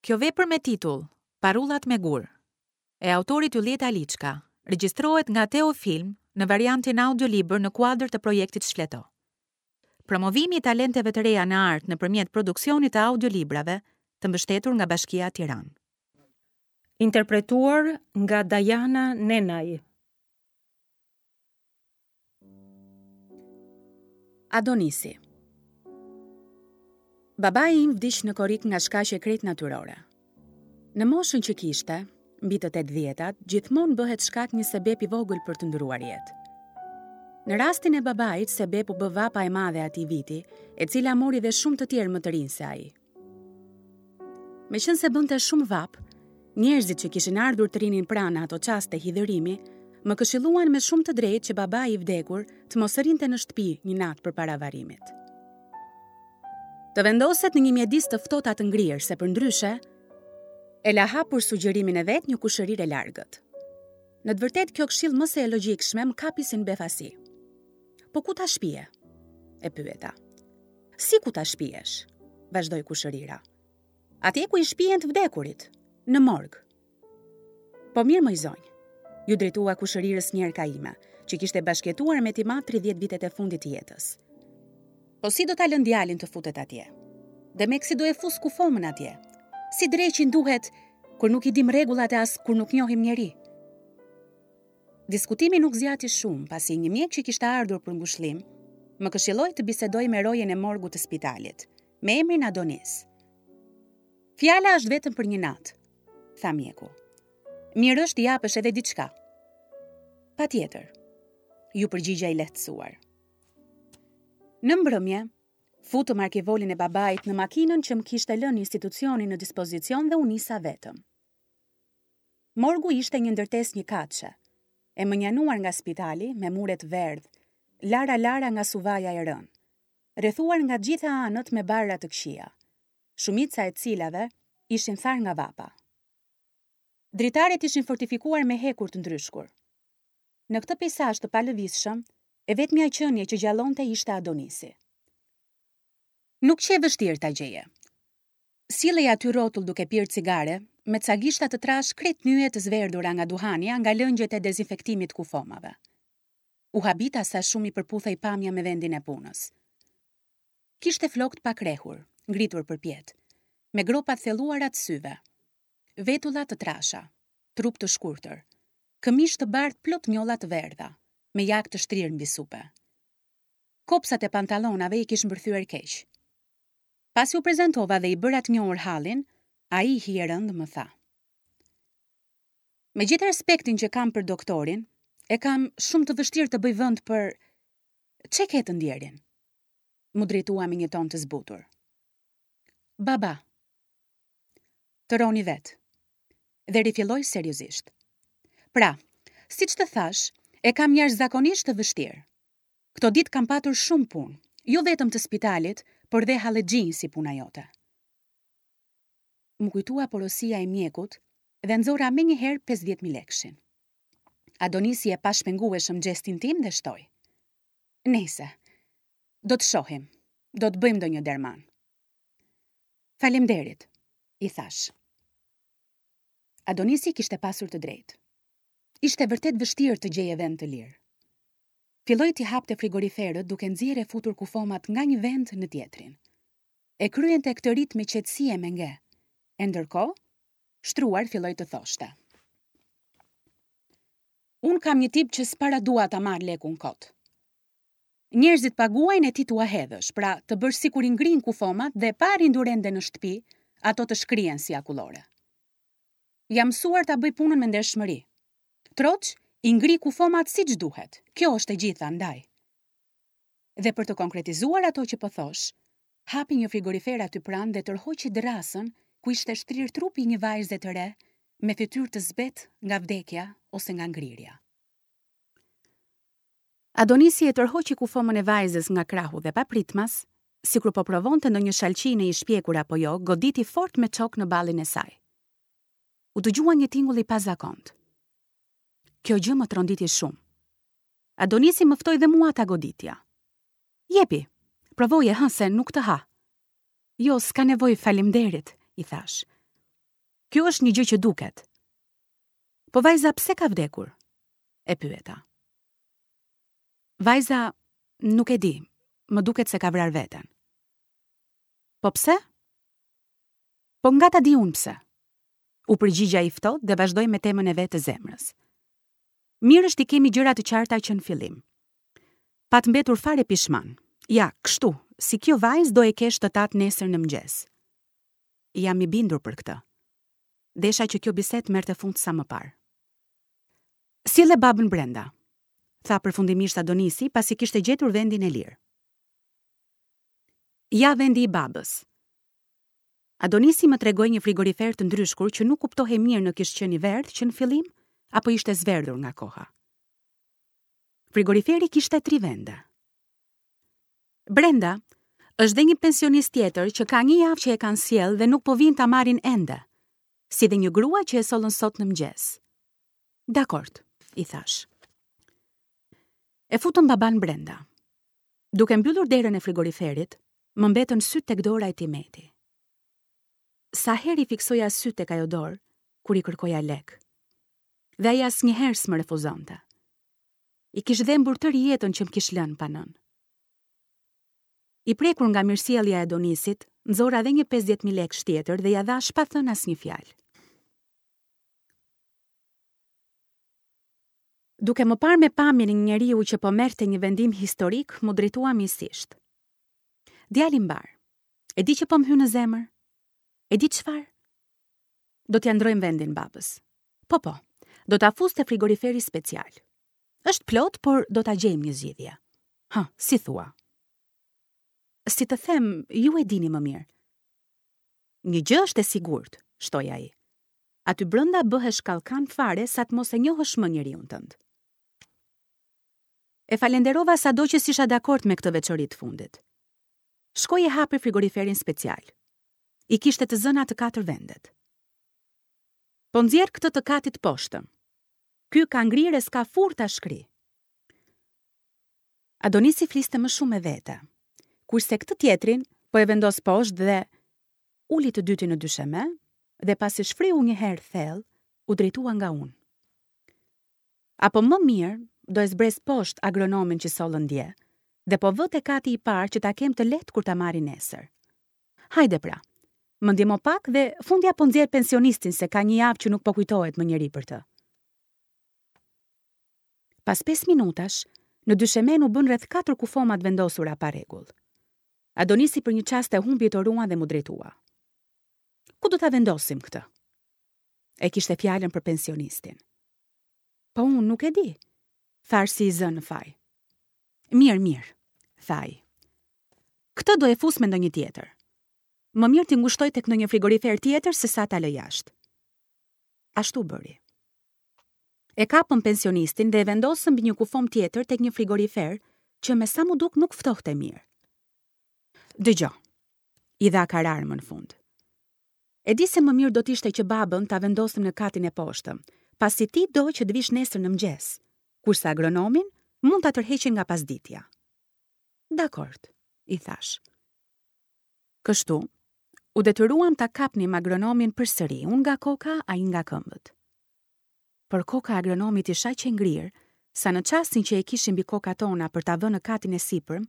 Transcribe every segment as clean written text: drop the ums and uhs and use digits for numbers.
Kjo vepër me titull Parullat me gurë, e autorit Ylljet Aliçka, regjistrohet nga Teo Film në variantin audiolibër në kuadër të projektit Shfleto. Promovimi i talenteve të reja në art nëpërmjet produksionit të audiolibrave të mbështetur nga Bashkia Tiranë. Interpretuar nga Dajana Nenaj. Adonisi Babai im vdiq në korrik nga shkaqe krejt natyrore. Në moshën që kishte, mbi të tetëdhjetat, gjithmonë bëhet shkak një sebep i vogël për të ndërruar jetë. Në rastin e babait, sebep u bë vapa e madhe e atij viti, e cila mori dhe shumë të tjerë më të rinj se ai. Meqenëse bënte shumë vapë, njerëzit që kishin ardhur të rrinin pranë në ato çaste hidhërimi, më këshilluan me shumë të drejtë që babai i vdekur të mos rrinte në shtëpi një natë përpara varrimit. Të vendoset në një mjedis të ftohtë a të ngrirë, se përndryshe, e la hapur sugjerimin e vet një kushërirë e largët. Në të vërtetë kjo këshillë më se e logjikshme më kapi si në befasi. Po ku ta shpie? E pyeta. Si ku ta shpiesh? Vazhdoi kushërira. Atje ku i shpien të vdekurit, në morg. Po mirë moj zonjë, iu drejtua kushërirës njerka ime, që kishte bashkëjetuar me tim atë 30 vitet e fundit të jetës. Po si do ta lënë djalin të futet atje? Demek si do e fus kufomën atje? Si dreqin duhet kur nuk i dimë rregullat e as kur nuk njohim njeri? Diskutimi nuk zgjati shumë, pasi një mjek që kishte ardhur për ngushëllim, më këshilloi të bisedoj me rojen e morgut të spitalit, me emrin Adonis. Fjala është vetëm për një natë, tha mjeku. Mirë është t'i japësh edhe diçka. Patjetër, iu përgjigja i lehtësuar. Në mbrëmje, futëm arkivolin e babait në makinën që më kishte lënë institucioni në dispozicion dhe u nisa vetëm. Morgu ishte një ndërtesë njëkatëshe, e mënjanuar nga spitali me mure të verdhë, lara-lara nga suvaja e rënë, rrethuar nga të gjitha anët me barëra të këqija, shumica e të cilave ishin tharë nga vapa. Dritaret ishin fortifikuar me hekur të ndryshkur. Në këtë peisazh të palëvizshëm, e vetmja qenie që gjallonte ishte Adonisi. Nuk qe vështirë ta gjeje. Sillej aty rrotull duke pirë cigare, me ca gishta të trashë krejt nyje të zverdhura nga duhani a nga lëngjet e dezinfektimit të kufomave. U habita sa shumë i përputhej pamja me vendin e punës. Kishte flokë të pakrehur, ngritur përpjetë, me gropa të thelluara të syve, vetulla të trasha, trup të shkurtër, këmishë të bardhë plot njolla të verdha, me jakë të shtrirë mbi supe. Kopsat e pantallonave i kish mbërthyer keq. Pasi u prezantova dhe i bëra të njohur hallin, ai hijerëndë më tha. Me gjithë respektin që kam për doktorin, e kam shumë të vështirë të bëj vend për ç'e ke të ndjerin? M'u drejtua me një ton të zbutur. Baba. Të rroni vetë. Dhe rifilloi seriozisht. Pra, siç të thashë, e kam jashtëzakonisht të vështirë. Këto ditë kam patur shumë punë, jo vetëm të spitalit, por dhe hallexhinj si puna jote. M'u kujtua porosia e mjekut dhe nxora menjëherë 50.000 lekshin. Adonisi e pa shpengueshëm gjestin tim dhe shtoi. Nejse, do të shohim, do të bëjmë ndonjë derman. Faleminderit, i thashë. Adonisi kishte pasur të drejtë. Ishte vërtet vështirë të gjeje vend të lirë. Filloi t'i hapte frigoriferët duke nxjerrë e futur kufomat nga një vend në tjetrin. E kryente këtë rit me qetësi e me nge. E ndërkohë, shtruar filloi të thoshte. Unë kam një tip që s'para dua ta marr lekun kot. Njerëzit paguajnë e ti t'ua hedhësh, pra të bësh sikur i ngrin kufomat dhe pa arritur ende në shtëpi, ato të shkrihen si akullore. Jam mësuar ta bëj punën me ndershmëri. Troç, i ngri kufomat siç duhet. Kjo është e gjitha, ndaj. Dhe për të konkretizuar ato që po thosh, hapi një frigorifer aty pranë dhe tërhoqi dërrasën ku ishte shtrirë trupi i një vajze të re me fytyrë të zbehtë nga vdekja ose nga ngrirja. Adonisi e tërhoqi kufomën e vajzës nga krahu dhe papritmas, sikur po provonte ndonjë shalqi në i shpjekur apo jo, goditi fort me çok në ballin e saj. U dëgjua një tingull i pazakontë. Kjo gjë më tronditi shumë. Adonisi më ftoi dhe mua ta goditja. Jepi, provoje hë se nuk të ha. Jo, s'ka nevojë, faleminderit, i thashë. Kjo është një gjë që duket. Po vajza pse ka vdekur? E pyeta. Vajza nuk e di, më duket se ka vrarë veten. Po pse? Po nga ta di unë pse? U përgjigj ai ftohtë dhe vazhdoi me temën e vet të zemrës. Mirë është t'i kemi gjërat të qarta që në fillim. Pat mbetur fare pishman. Ja, kështu, si kjo vajzë do e kesh të tatë nesër në mëngjes. Jam i bindur për këtë. Desha që kjo bisedë të merrte fund sa më parë. Sille babën brenda, tha përfundimisht Adonisi pasi kishte gjetur vendin e lirë. Ja vendi i babës. Adonisi më tregoi një frigorifer të ndryshkur që nuk kuptohej mirë në kish qenë i verdhë që në fillim apo ishte zverdhur nga koha. Frigoriferi kishte tri vende. Brenda është dhe një pensionist tjetër që ka një javë që e kanë sjellë dhe nuk po vijnë ta marrin ende, si dhe një grua që e sollën sot në mëngjes. Dakord, i thashë. E futëm babanë brenda. Duke mbyllur derën e frigoriferit, më mbetën sytë tek dora e tim eti. Sa herë i fiksoja sytë tek ajo dorë, kur i kërkoja lekë. Dhe ai asnjëherë s'më refuzonte. I kish dhembur tërë jetën që më kish lënë pa nënë. I prekur nga mirësjellja e Adonisit, nxora edhe një 50.000 lekësh tjetër dhe ia dhashë pa thënë asnjë fjalë. Duke më parë me pamjen e një njeriu që po merrte një vendim historik, m'u drejtua miqësisht. Djalë i mbarë, e di që po më hyn në zemër? E di çfarë? Do t'ia ndërrojmë vendin babës. Po, po, do ta fus te frigoriferi special. Është plot, por do ta gjejmë një zgjidhje. Hë, si thua? Si të them, ju e dini më mirë. Një gjë është e sigurt, shtoi ai. Aty brenda bëhesh kallkan fare sa të mos e njohësh më njeriun tënd. E falenderova sado që s'isha dakord me këtë veçori të fundit. Shkoi e hapi frigoriferin special. I kishte të zëna të katër vendet. Po nxjerr këtë të katit të poshtëm. Ky ka ngrirë e s'ka furrë ta shkrijë. Adonisi fliste më shumë me vete. Kurse këtë tjetrin po e vendos poshtë dhe uli të dytin në dysheme dhe pasi shfryu një herë thellë, u drejtua nga unë. Apo më mirë, do e zbres poshtë agronomin që sollën dje dhe po vë te kati i parë që ta kem të lehtë kur ta marrin nesër. Hajde pra. Më ndihmo pak dhe fundja po nxjerr pensionistin se ka një javë që nuk po kujtohet më njeri për të. Pas 5 minutash, në dyshemenë u bënë rreth 4 kufoma të vendosura pa rregull. Adonisi për një çast e humbi toruan dhe m'u drejtua. Ku do ta vendosim këtë? E kishte fjalën për pensionistin. Po unë nuk e di, thashë si i zënë në faj. Mirë, mirë, tha ai. Këtë do e fus me ndonjë tjetër. Më mirë t'i ngushtoj tek ndonjë frigorifer tjetër se sa ta lë jashtë. Ashtu bëri. E kapëm pensionistin dhe e vendosëm mbi një kufomë tjetër tek një frigorifer që me sa m'u duk nuk ftohte mirë. Dëgjo, i dha karar më në fund. E di se më mirë do të ishte që babën ta vendosnim në katin e poshtëm, pasi ti do që të vish nesër në mëngjes, kurse agronomin mund ta tërheqin nga pasditja. Dakord, i thashë. Kështu, u detyruam ta kapnim agronomin përsëri, unë nga koka, ai nga këmbët. Por koka e agronomit ish aq e ngrirë, sa në çastin që e kishim mbi kokat tona për ta vënë në katin e sipërm,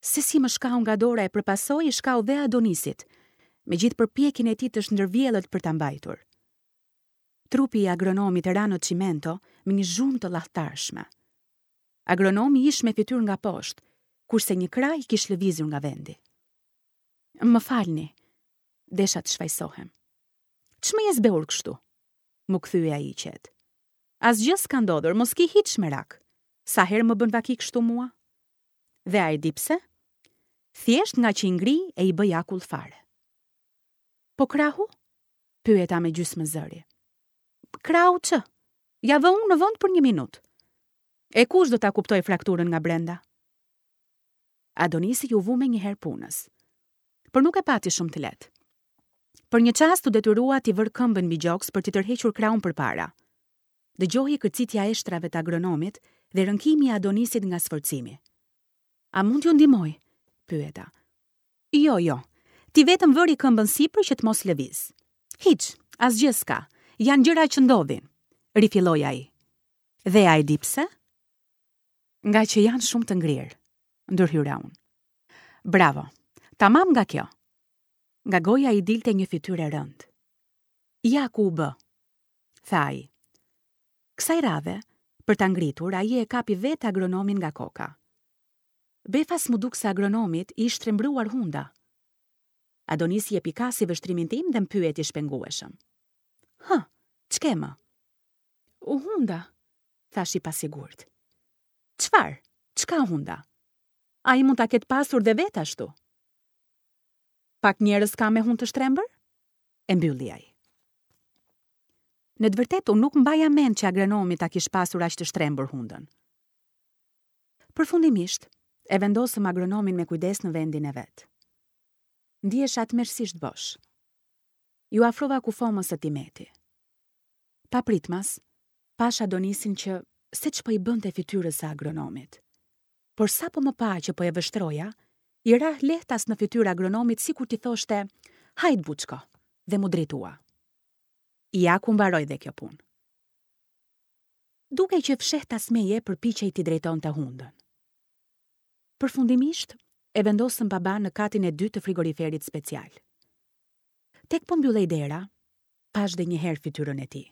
se si më shkau nga dora e për pasojë i shkau dhe Adonisit, me gjithë përpjekjen e tij të shndërvjellët për ta mbajtur. Trupi i agronomit ra në çimento me një zhurmë të llahtarshme. Agronomi ish me fytyrë nga poshtë, kurse një krah i kish lëvizur nga vendi. Më falni, desha të shfajësohem. Ç'më je zbehur kështu? M'u kthye ai i qetë. Asgjë s'ka ndodhur, mos ki hiç merak. Sa herë më bën vaki kështu mua? Dhe a e di pse? Thjesht ngaqë i ngrij e i bëj akull fare. Po krahu? Pyeta me gjysmë zëri. Krahu ç'ë? Ia vë unë në vend për një minutë. E kush do ta kuptojë frakturën nga brenda? Adonisi iu vu menjëherë punës. Por nuk e pati shumë të lehtë. Për një çast u detyrua t'i vërë këmbën mbi gjoks për t'i tërhequr krahun përpara. Dëgjohej kërcitja e eshtrave të agronomit dhe rënkimi i Adonisit nga sforcimi. A mund t'ju ndihmoj? pyeta. Jo, jo. Ti vetëm vëri këmbën sipër që të mos lëvizë. Hiç, Asgjë s'ka. Janë gjëra që ndodhin, rifilloi ai. Dhe a e di pse? Ngaqë janë shumë të ngrirë, ndërhyra unë. Bravo. Tamam nga kjo. Nga goja i dilte një fytyrë e rëndë. Ja ku u bë, tha ai. Kësaj radhe, për ta ngritur, ai e kapi vetë agronomin nga koka. Befas m'u duk se agronomit i ish shtrembëruar hunda. Adonisi e pikasi vështrimin tim dhe më pyeti shpengueshëm. Hë, ç'ke më? U hunda, thashë i pasigurt. Çfarë? Ç'ka hunda? Ai mund ta ketë pasur dhe vetë ashtu. Pak njerëz ka me hundë të shtrembër? E mbylli ai. Në të vërtetë, unë nuk mbaja mend që agronomi ta kish pasur aq të shtrembër hundën. Përfundimisht, e vendosëm agronomin me kujdes në vendin e vet. Ndihesha tmerrësisht bosh. Iu afrova kufomës së Timeti. Papritmas, pashë Adonisin që se ç'po i bënte fytyrës së agronomit. Por sapo më pa që po e vështroja, i ra lehtas në fytyrë agronomit sikur t'i thoshte, Hajt Buçko, dhe m'u drejtua. Ja ku mbaroi dhe kjo punë. Dukej që fshehtas meje përpiqej t'i drejtonte hundën. Përfundimisht, e vendosëm babanë në katin e dytë të frigoriferit special. Tek po mbyllej dera, pashë dhe një herë fytyrën e tij.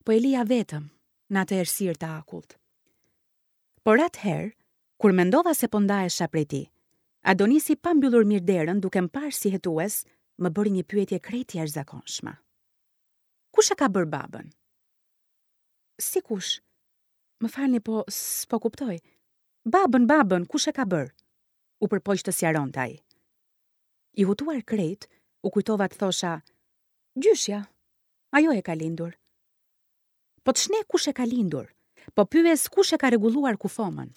Po e lija vetëm, në atë errësirë të akullt. Por atëherë, kur mendova se po ndahesha prej tij, Adonisi pa mbyllur mirë derën duke më parë si hetues, më bëri një pyetje krejt të jashtëzakonshme. Kush e ka bërë babën? Si kush? Më falni, po s'po kuptoj. Babën, babën, kush e ka bërë? U përpoq të sqaronte ai. I hutuar krejt, u kujtova të thosha, gjyshja, ajo e ka lindur. Po ç'ne kush e ka lindur, po pyes kush e ka rregulluar kufomën.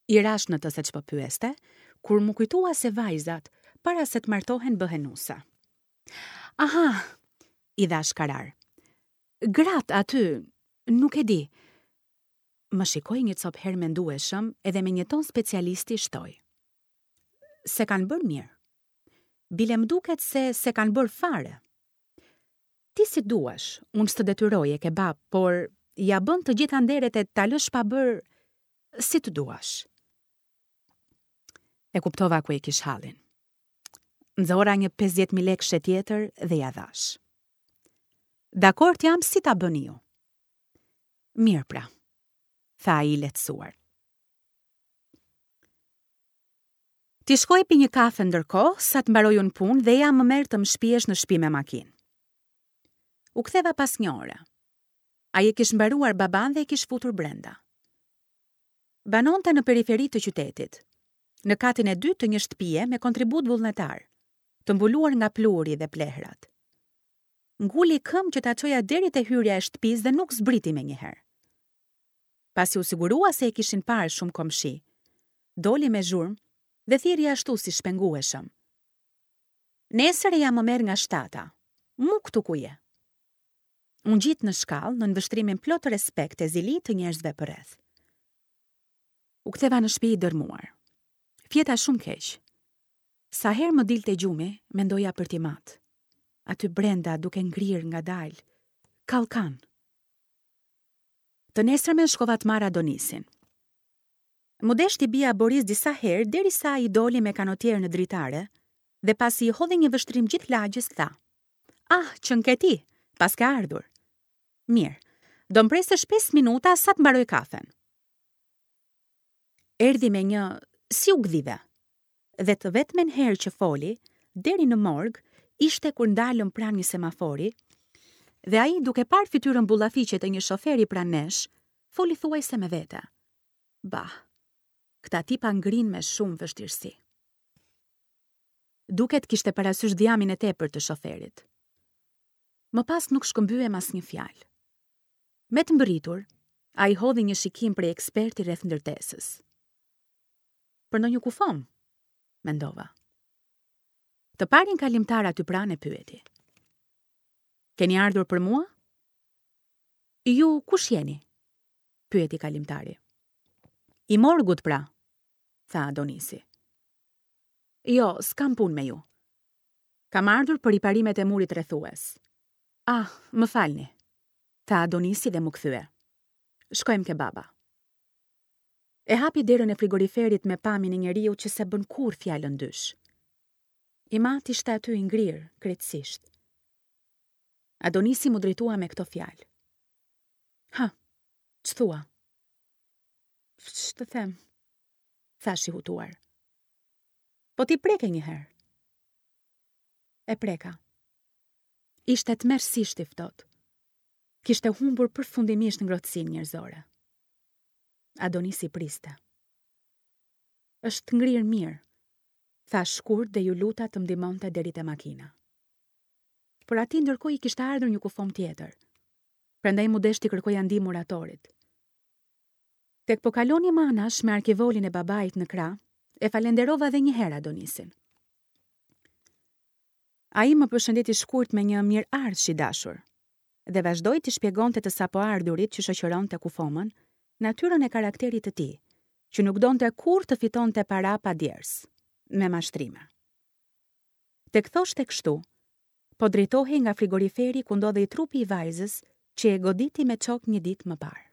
I rashë në të se ç'po pyeste, kur m'u kujtua se vajzat, para se të martohen bëhen nuse. Aha, i dhashë karar. Gratë aty, nuk e di. Më shikoi një copë herë mendueshëm edhe me një ton specialisti shtoi. S'e kanë bërë mirë. Bile më duket se s'e kanë bërë fare. Ti si duash, unë s'të detyroj e ke babë, por ia bën të gjitha nderet e ta lësh pa bërë si të duash. E kuptova ku e kish hallin. Nxora një 50.000 lekëshe tjetër dhe ia dhashë. Dakord jam si ta bëni ju. Mirë pra, tha ai i lehtësuar. Ti shko e pi një kafe ndërkohë, sa të mbaroj unë punë dhe eja më merr të më shpiesh në shpi me makinë. U ktheva pas një ore. Ai e kish mbaruar babanë dhe e kish futur brenda. Banonte në periferi të qytetit, në katin e dytë të një shtëpie me kontribut vullnetar, të mbuluar nga pluhuri dhe plehrat. Nguli këmbë që ta çoja deri te hyrja e shtëpisë dhe nuk zbriti menjëherë. Pasi u sigurua se e kishin parë shumë komshinj, doli me zhurmë dhe thirri ashtu si shpengueshëm. Nesër eja më merr nga shtata, mu këtu ku je. U ngjit në shkallë nën vështrimin plot respekt e zili të njerëzve përreth. U ktheva në shtëpi i dërmuar. Fjeta shumë keq. Sa herë më dilte gjumi, mendoja për tim atë. Aty brenda duke ngrirë ngadalë. Kallkan. Të nesërmen shkova të marr Adonisin. M'u desh t'i bija borisë disa herë derisa ai doli me kanotier në dritare dhe pasi i hodhi një vështrim gjithë lagjes tha: "Ah, qenke ti, paske ardhur." Mirë, do më presësh 5 minuta sa të mbaroj kafen. Erdhi me një si u gdhive. Dhe të vetmen herë që foli, deri në morg, ishte kur ndalëm pranë një semafori dhe ai duke parë fytyrën bullafiqe të një shoferi pranë nesh, foli thuajse me vete. Bah, këta tipa ngrijnë me shumë vështirësi. Duket kishte parasysh dhjamin e tepërt të shoferit. Më pas nuk shkëmbyem asnjë fjalë. Me të mbërritur, ai hodhi një shikim prej eksperti rreth ndërtesës. Për ndonjë kufomë, mendova. Të parin kalimtar aty pranë e pyeti. Keni ardhur për mua? Ju kush jeni? pyeti kalimtari. I morgut pra, tha Adonisi. Jo, s'kam punë me ju. Kam ardhur për riparimet e murit rrethues. Ah, më falni, tha Adonisi dhe m'u kthye. Shkojmë ke baba. E hapi derën e frigoriferit me pamjen e njeriut që s'e bën kurrë fjalën dysh. Im atë ishte aty i ngrirë, krejtësisht. Adonisi m'u drejtua me këto fjalë. Ha, ç'thua? Ç'të them? Thashë i hutuar. Po ti preke një herë. E preka. Ishte tmerrësisht i ftohtë. Kishte humbur përfundimisht ngrohtësinë njerëzore. Adonisi priste. Është ngrirë mirë, thashë shkurt dhe iu luta të më ndihmonte deri te makina. Por atij ndërkohë i kishte ardhur një kufomë tjetër. Prandaj m'u desh t'i kërkoja ndihmë muratorit. Tek po kalonim anash me arkivolin e babait në krah, e falenderova dhe një herë Adonisin. Ai më përshëndeti shkurt me një mirëardhsh i dashur dhe vazhdoi t'i shpjegonte të sapoardhurit që shoqëronte kufomën, natyrën e karakterit të tij, që nuk donte kurrë të fitonte para pa djersë, me mashtrime. Tek thoshte kështu, po drejtohej nga frigoriferi ku ndodhej trupi i vajzës që e goditi me çok një ditë më parë.